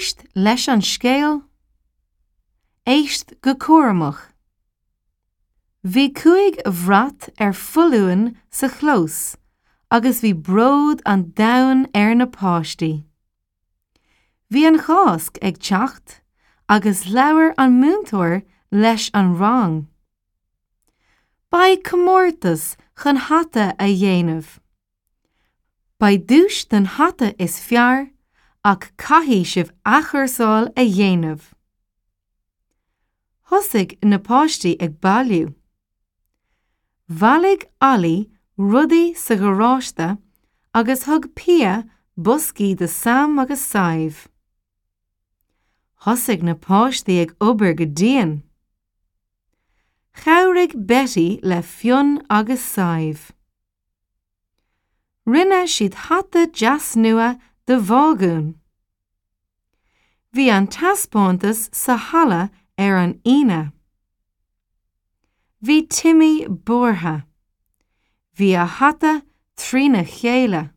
Éist leis an scéal. Éist go cúramach. Bhí cúig bhrat ar foluain sa chlós agus bhí bród an domhain ar na páistí. Bhí an Cháisc ag teacht agus labhair an múinteoir leis an rang. Beidh comórtas chun hata a dhéanamh. Beidh duais don hata is fearr ach caithfidh sibh athchúrsáil a dhéanamh. Thosaigh na páistí ag bailiú. Bhailigh Ollie rudaí sa gharáiste agus thug Pia boscaí do Sam agus Sadhbh. Thosaigh na páistí ag obair go dian. Chabhraigh Betty le Fionn agus Sadhbh. Rinne siad hata deas nua de bhágún. Bhí an taispeántas sa halla ar an Aoine. Bhí Timmy buartha. Bhí a hata trína chéile.